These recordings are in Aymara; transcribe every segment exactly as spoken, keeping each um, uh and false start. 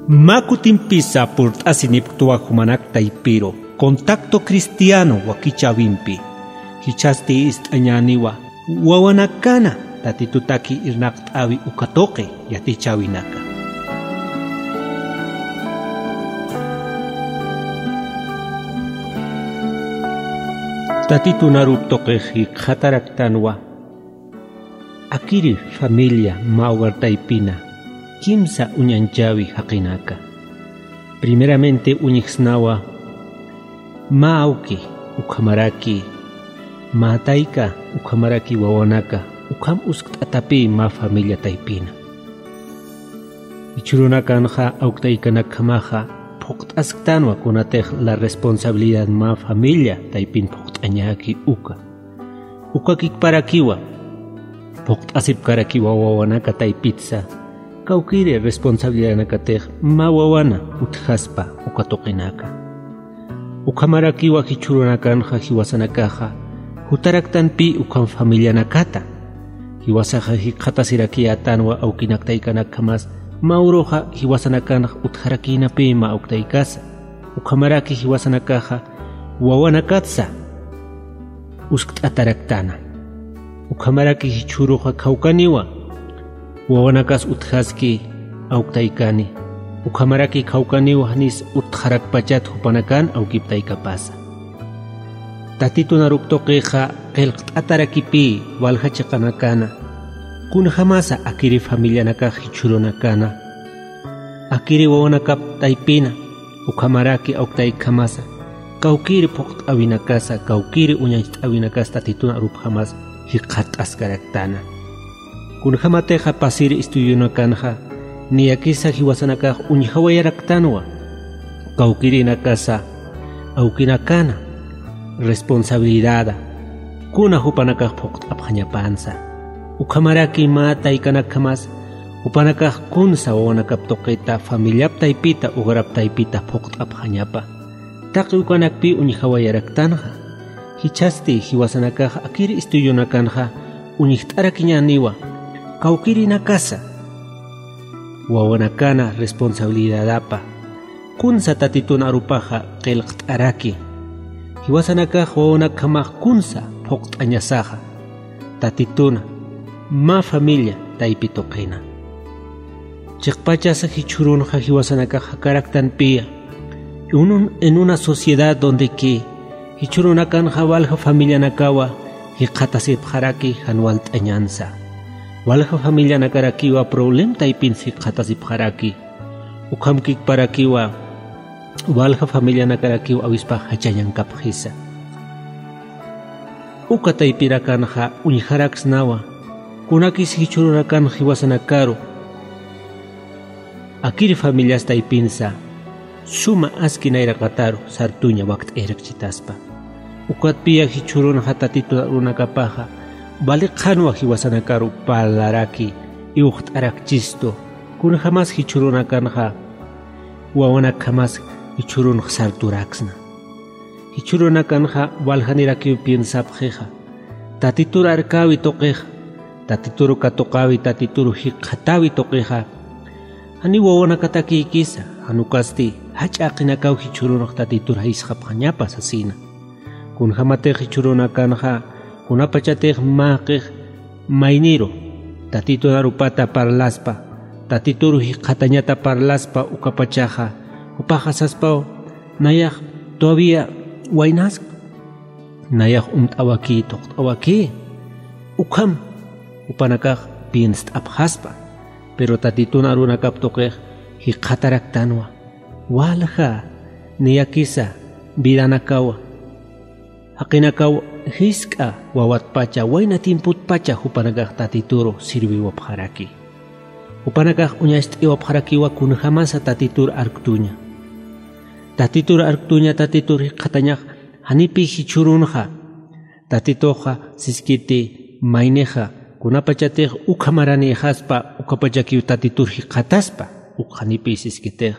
Mä kutimpisa purt'asinipktwa jumanak taypiru Contacto Cristiano wakichäwimpi. Jichhasti ist'añäniwa wawanakana Tatitutaki irnaqt'äwi uka tuqi yatichäwinaka. Tatitun arup tuqix jikxataraktanwa. Akiri familia mä hogar taypina kimsa uñañchäwi jaqinaka. Primeramente uñjsnawa mä awki, ukhamaraki mä tayka, ukhamaraki wawanaka, ukham uskt'atapï mä familia taypina. Jichhürunakanxa awk taykanakjamaxa phuqt'asktanwa kunatix la responsabilidad mä familia taypin phuqt'añäki uka. Ukakikparakiwa phuqt'asipkarakiwa wawanaka taypitsa, kawkïri responsabilidadanakatix mä wawana utjaspa uka tuqinaka. Ukhamarakiwa jichhürunakanxa jiwasanakaxa jutaraktanpï ukham familianakata. Jiwasaxa jikxatasirakiyätanwa awkinak taykanakjamas mä uruxa jiwasanakanx utjarakïnapï mä awk taykasa. Ukhamaraki jiwasanakaxa wawanakatsa uskt'ataraktana. Ukhamaraki jichhüruxa khawkaniwa wawanakas utjaski awk taykani. Ukhamaraki khawkaniwa janis utjarakpachat jupanakan awkip taykapasa. Tatitun arup tuqixa qillqt'atarakipï walja chiqanakana. Kunjamasa akiri familianakax jichhürunakana. Akiri wawanakap taypina, ukhamaraki awk taykjamasa, kawkïri phuqt'äwinakasa, kawkïri uñacht'äwinakasa Tatitun arupjamas jikxatt'askaraktana. Kunjamatixa pasiri estudionakanxa, niyakisa jiwasanakax uñjawayaraktanwa, kawkïrinakasa, awkinakana, responsabilidada, kuna jupanakax phuqt'apxañapansa. Ukhamaraki mä taykanakjamas, jupanakax kunsa wawanakap tuqita, familiap taypita, hogarap taypita phuqt'apxañapa. Taqi ukanakpï uñjawayaraktanxa. Jichhasti jiwasanakax akiri estudionakanxa uñjt'arakiñäniwa, kawkïrinakasa wawanakana responsabilidadapa. Kunsa Tatitun arupaxa qillqt'araki. Jiwasanakax wawanakjamax kunsa phuqt'añasaxa. Tatituna, mä familia taypi tuqina. Chiqpachasa jichhürunxa jiwasanakax jakaraktanpïya. En un-, en una sociedad donde que jichhürunakanxa walja familianakawa jikxatasipxaraki jan walt'añansa. Walja familianakarakiwa problem taypins jikxatasipxaraki. Ukhamkikparakiwa walja familianakarakiw awispax jachañankapxisa. Uka taypirakanxa uñjaraksnawa, kunakis jichhürunakan jiwasanakaru akiri familias taypinsa suma aski nayraqataru sartuña wakt'ayarakchitaspa. Ukatpïya jichhürunxa Tatitun arunakapaxa vali qhanwa jiwasanakaru parlaraki, iwxt'arakchistu, kunjamas jichhürunakanxa wawanakjamas jichhürunx sarturaksna. Jichhürunakanxa waljanirakiw piensapxixa, Tatitur arkäwi tuqixa, Tatitur katuqäwi, Tatitur jikxatäwi tuqixa, janiw wawanakatakïkisa, jan ukasti jach'a jaqinakaw jichhürunx Tatitur jayisxapxañapa sasina. Kunjamatix jichhürunakanxa, kunapachatix mä jaqix mayniru Tatitun arupata parlaspa, Tatituru jikxatañata parlaspa ukapachaxa, jupaxa saspaw, nayax todavía waynask, nayax umt'awakï, thuqt'awakï, ukham jupanakax pienst'apxaspa. Pero Tatitun arunakap tuqix jikxataraktanwa, walja niyakisa vidanakawa, jaqinakaw jisk'a wawatpacha, wayna tiempotpacha jupanakax Tatituru sirviwapxaraki. Jupanakax uñacht'iwapxarakiwa kunjamasa Tatitur arktuña. Tatitur arktuña, Tatitur jikxatañax, janipï jichhürunxa. Tatituxa siskiti maynixa, kunapachatix ukhamaranïxaspa, ukapachakiw Tatitur jikxataspa, uk janipï siskitix.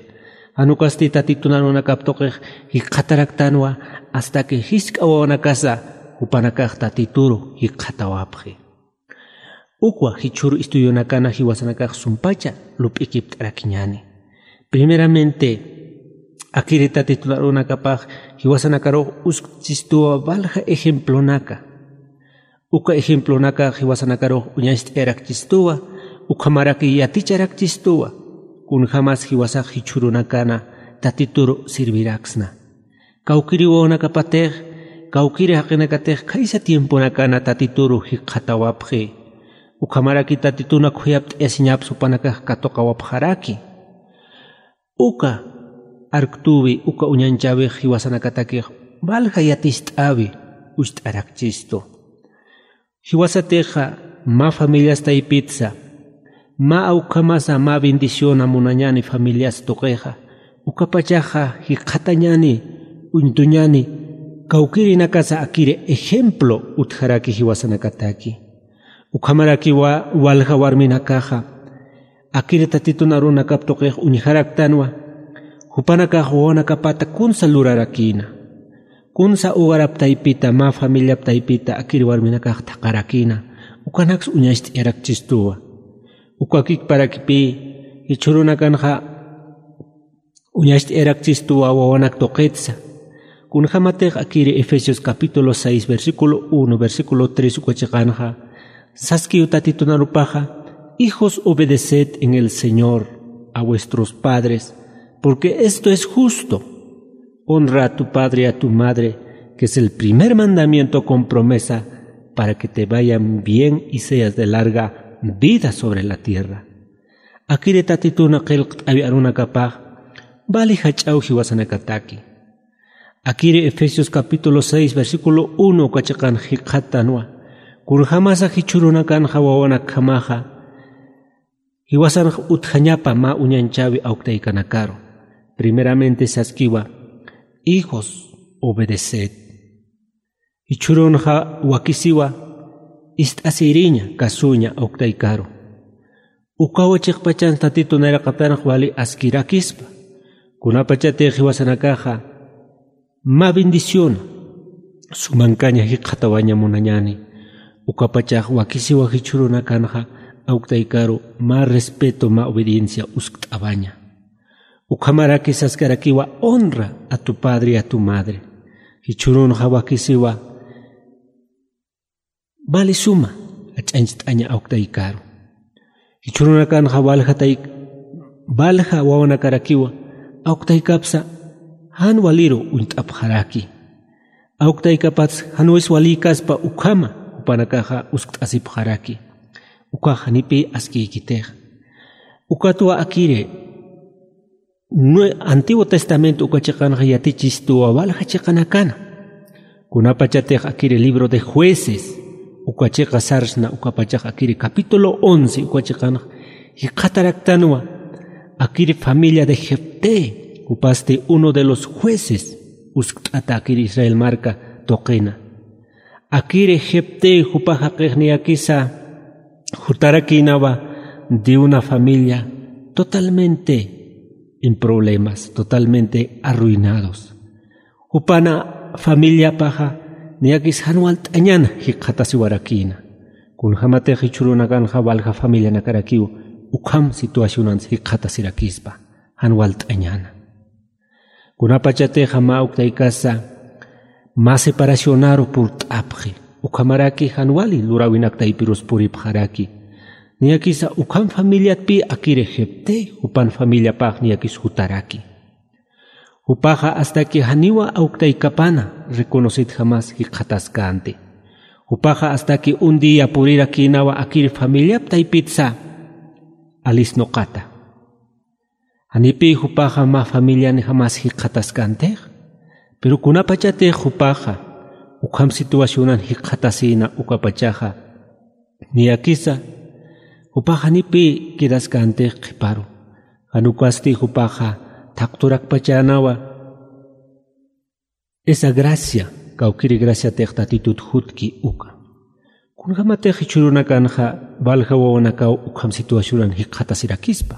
Jan ukasti Tatitun arunakap tuqix jikxataraktanwa, hasta que jisk'a wawanakasa jupanakax Tatituru jikxatawapxi. Ukwa jichhüru estudionakana jiwasanakax sumpacha lup'ikipt'arakiñäni. Primeramente, akiri tatitun arunakapax jiwasanakarux uskchistuwa valja ejemplonaka. Uka ejemplonaka jiwasanakarux uñacht'ayarakchistuwa, ukhamaraki yaticharakchistuwa, kunjämas jiwasax jichhürunakana tatituru sirviraksna. Kawkiri wawanakapatix, kawkiri jaqinakatix khaysa tiemponakana tatituru jikxatawapxi. Ukhamaraki tatituna khuyapt'ayasiñaps jupanakax katuqawapxaraki. Uka arktüwi, uka uñanchäwix jiwasanakatakix valja yaticht'äwi ucht'arakchistu. Jiwasatixa mä familias taypitsa, mä awkhamasa mä bendiciona munañäni familias tuqixa, ukapachaxa jikxatañäni, uñtuñäni, kawkirinakasa akiri ejemplo utjaraki jiwasanakataki. Ukhamarakiwa walja warminakaxa, akiri tatitun arunakap tuqix uñjaraktanwa, jupanakax wawanakapata kunsa lurarakïna. Kunsa hogarap taypita, mä familiap taypita akiri warminakax thaqharakïna, ukanaks uñacht'ayarakchistuwa. Uka kikparakipï, jichhürunakanxa uñacht'ayarakchistuwa wawanak tuqitsa. Kunjämatix akiri Efesios capítulo seis, versículo uno, versículo tres uka chiqanxa, saskiw tatitun arupaxa: "Hijos, obedeced en el Señor a vuestros padres, porque esto es justo. Honra a tu padre y a tu madre, que es el primer mandamiento con promesa, para que te vayan bien y seas de larga vida sobre la tierra". Akiri tatituna qillqt'awi arunakapax, vali jach'aw jiwasanakataki. Akiri Efesios capítulo seis, versículo uno uka chiqan jikxatanwa, kunjämasa jichhürunakanxa wawanakjamaxa, jiwasanx utjañapa mä uñanchäwi awktaykanakaru. Primeramente saskiwa: "Hijos, obedeced". Jichhürunxa wakisiwa, ist'asïriña, kasuña awktaykaru. Ukawa chiqpachan tatitun nayraqatanx wali askirakispa. Kunapachatix jiwasanakaxa mä bendiciona, sumankaña jikxatawaña munañäni, ukapachax wakisiwa jichhürunakanxa awktaykaru mä respeto, mä obediencia uskt'awaña. Ukhamaraki saskarakiwa: "Honra a tu padre y a tu madre". Jichhürunxa wakisiwa, vali suma jach'añcht'aña awktaykaru. Jichhürunakanxa waljatay-, walja wawanakarakiwa, awktaykapsa jan waliru uñt'apxaraki. Awktaykapats jan wis walïkaspa ukhama jupanakaxa uskt'asipxaraki. Ukax janipï askiykitix. Ukatwa akiri Nue-, Antiguo Testamento uka chiqanxa yatichistuwa walja chiqanakana. Kunapachatix akiri libro de Jueces uka chiqa sarsna, ukapachax akiri capítulo once uka chiqanxa jikxataraktanwa, akiri familia de Jefté, jupasti uno de los jueces uskt'ata akiri Israel marka tuqina. Akiri Jefté jupa jaqix niyakisa jutarakïnawa de una familia totalmente en problemas, totalmente arruinados. Jupana familiapaxa niyakis jan walt'añana jikxatasiwarakïna. Kunjämatix jichhürunakanxa walja familianakarakiw ukham situacionans jikxatasirakispa, jan walt'añana. Kunapachatixa mä awktaykasa mä separacionaru purt'apxi, ukhamaraki jan wali luräwinak taypirus puripxaraki. Niyakisa ukham familiatpï akiri Jefté, jupan familiapax niyakis jutaraki. Jupaxa astaki janiwa awktaykapana reconocitjamas jikxataskänti. Jupaxa astaki un día purirakïnawa akiri familiap taypitsa alisnuqata. Janipï jupaxa mä familianjamas jikxataskäntixa. Pero kunapachatix jupaxa ukham situacionan jikxatasïna ukapachaxa, niyakisa jupax janipï quedaskäntix qhiparu. Jan ukasti jupaxa thaqturakpachänawa esa gracia, kawkiri graciatix Tatitut jutki uka. Kunjämatix jichhürunakanxa walja wawanakaw ukham situacionan jikxatasirakispa.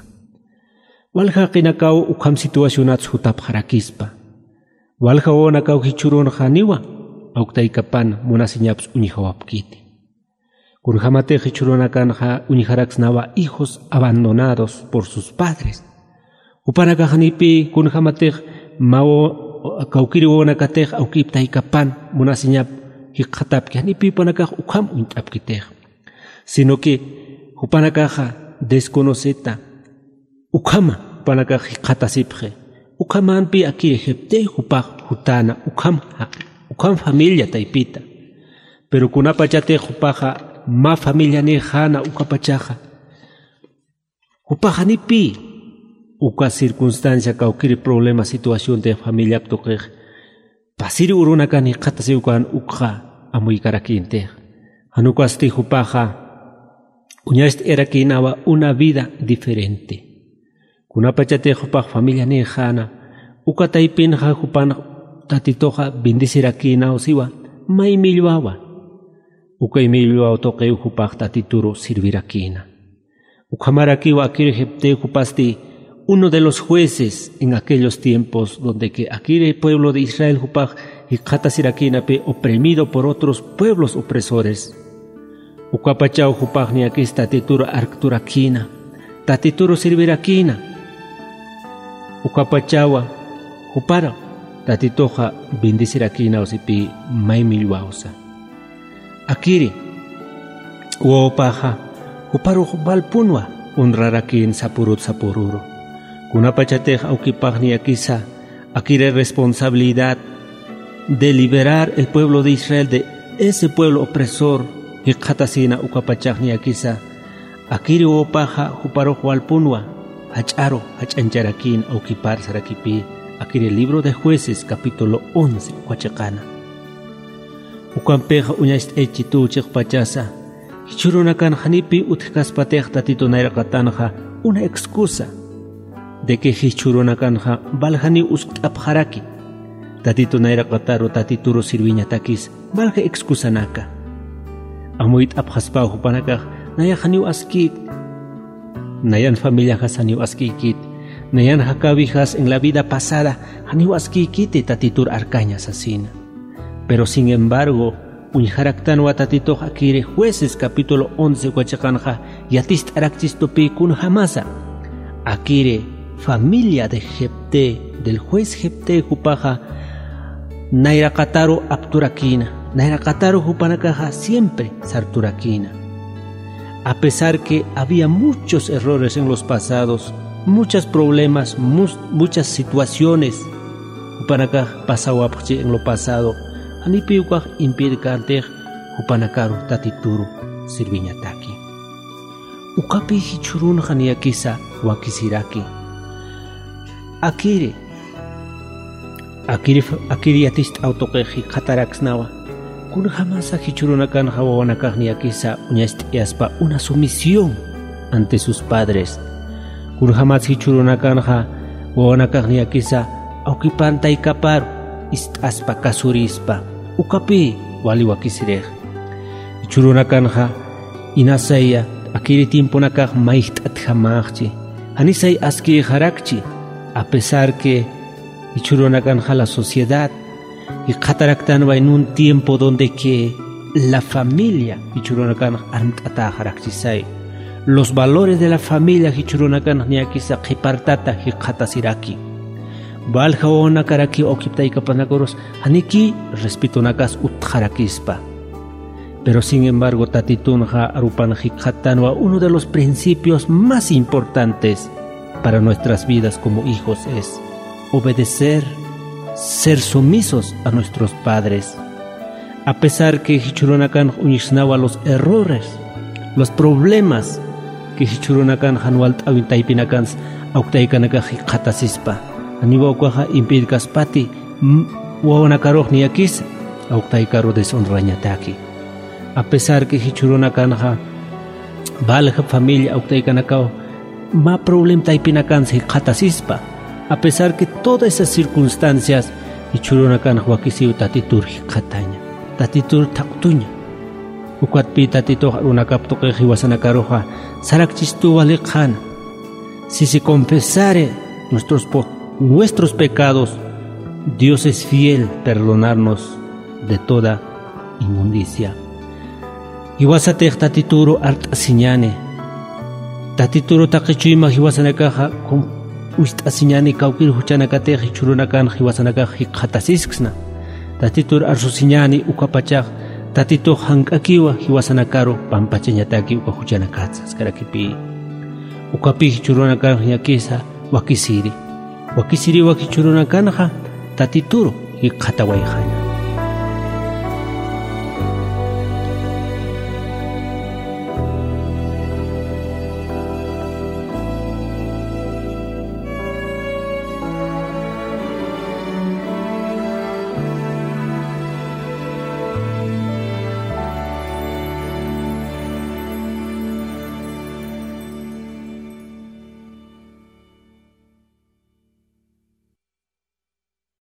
Walja jaqinakaw ukham situacionats jutapxarakispa. Walja wawanakaw jichhürunxa janiwa awktaykapan munasiñaps uñjawapkiti. Kunjämatix jichhürunakanxa uñjaraksnawa hijos abandonados por sus padres. Jupanakax janipi kunjämatix mä wa-, kawkïri wawanakatix awkip taykapan munasiñap jikxatapki, janipi jupanakax ukham uñt'apkitix. Sino que jupanakaxa desconoceta, ukhama jupanakax jikxatasipxi. Ukhamanpi akiri Jefté jupax jutäna, ukham jaq-, ukham familia taypita. Pero kunapachatix jupaxa mä familianïxäna ukapachaxa, jupax janipi uka circunstancia, kawkïri problema, situaciontix familiap tuqix pasiri urunakan jikxatasiw ukan ukxa amuykarakïntix. Jan ukasti jupaxa uñacht'ayarakïnawa una vida diferente. Kunapachatix jupax familianïxäna, uka taypinxa jupan Tatituxa bendecirakïnaw siwa, may millwawa. Ukay millwaw tuqiw jupax Tatituru sirvirakïna. Ukhamarakiw akiri Jefté jupasti uno de los jueces en aquellos tiempos, donde que akiri pueblo de Israel jupax jikxatasirakïnapi oprimido por otros pueblos opresores. Ukapachaw jupax niyakis Tatituru arkturakïna, Tatituru sirvirakïna. Ukapachawa jupar Tatituxa bendecirakïnaw sipï, may millwawsa. Akiri wawapaxa juparux walpunwa honrarakïn sapurut sapururu. Kunapachatix awkipax niyakisa akiri responsabilidad de liberar el pueblo de Israel de ese pueblo opresor jikxatasïna ukapachax niyakisa, akiri wawapaxa juparux walpunwa jach'aru jach'añcharakïn awkipar sarakipï, akiri libro de Jueces capítulo once uka chiqana. Ukampixa uñacht'aychituw chiqpachasa, jichhürunakan janipi utjkaspatix Tatitu nayraqatanxa una excusa de que jichhürunakanxa valja janiw uskt'apxaraki. Tatitu nayraqataru Tatituru sirviñatakis valja excusanaka. Amuyt'apxaspaw jupanakax nayax janiw askït, nayan familiajas janiw askïkit, nayan jakäwijas en la vida pasada janiw askïkiti Tatitur arkaña sasina. Pero sin embargo, uñjaraktanwa Tatitux akiri Jueces capítulo once uka chiqanxa yaticht'arakchistupï kunjamasa. Akiri familia de Jefté, del juez Jefté jupaxa nayraqataru apturakïna, nayraqataru jupanakaxa siempre sarturakïna. A pesar que había muchos errores en los pasados, muchas problemas, mus-, muchas situaciones, jupanakax pasawapxchi en lo pasado, janipi ukax impedikantix jupanakaru Tatituru sirviñataki. Ukapi jichhürunxa niyakisa wakisiraki. Akiri, akiri, akiri yaticht'aw tuqix jikxataraksnawa. Kunjamasa jichhürunakanxa wawanakax niyakisa uñacht'ayaspa una sumisión ante sus padres. Kunjamas jichhürunakanxa wawanakax niyakisa awkipan taykaparu ist'aspa, kasurispa. Ukapi wali wakisirix. Jichhürunakanxa inasaya akiri tiemponakax mayjt'atjamäxchi. Janisay askïxarakchi, a pesar que jichhürunakanxa la sociedad jikxataraktanwa en un tiempo donde que la familia jichhürunakanxa armt'atäxarakchisay. Los valores de la familia jichhürunakanxa niyakisa qhipartata jikxatasiraki. Valja wawanakarakiw awkip taykapanakarusa janiki respetonakas utjarakispa. Pero sin embargo, Tatitunxa arupan jikxatanwa uno de los principios más importantes para nuestras vidas como hijos es obedecer, ser sumisos a nuestros padres. A pesar que jichhürunakanxa uñjsnawa los errores, los problemas, que jichhürunakanxa jan walt'äwin taypinakansa awk taykanakax jikxatasispa, janiwa ukaxa impedikaspati, m-, wawanakarux niyakisa awk taykaru deshonrañataki. A pesar que jichhürunakanxa valja familia awk taykanakaw mä problema taypinakansa jikxatasispa, a pesar que todas esas circunstancias jichhürunakanxa wakisiw Tatitur jikxataña, Tatitur thaqtuña. Ukatpï Tatitux arunakap tuqix jiwasanakaruxa sarakchistuw wali qhana. Si se confesare nuestros po-, nuestros pecados, Dios es fiel perdonarnos de toda inmundicia. Jiwasatix Tatituru art'asiñäni. Tatituru taqi chuyma jiwasanakaxa com-, wist'asiñäni kawkïr juchanakatix jichhürunakanx jiwasanakax jikxatasiskisna. Tatitur arsusiñäni ukapachax Tatitux jank'akiwa jiwasanakaru pampachañataki uka juchanakatsa saskarakipi. Ukapï jichhürunakanx ñakisa wakisiri. Wakisiriwa jichhürunakanxa Tatituru jikxatawayxaña.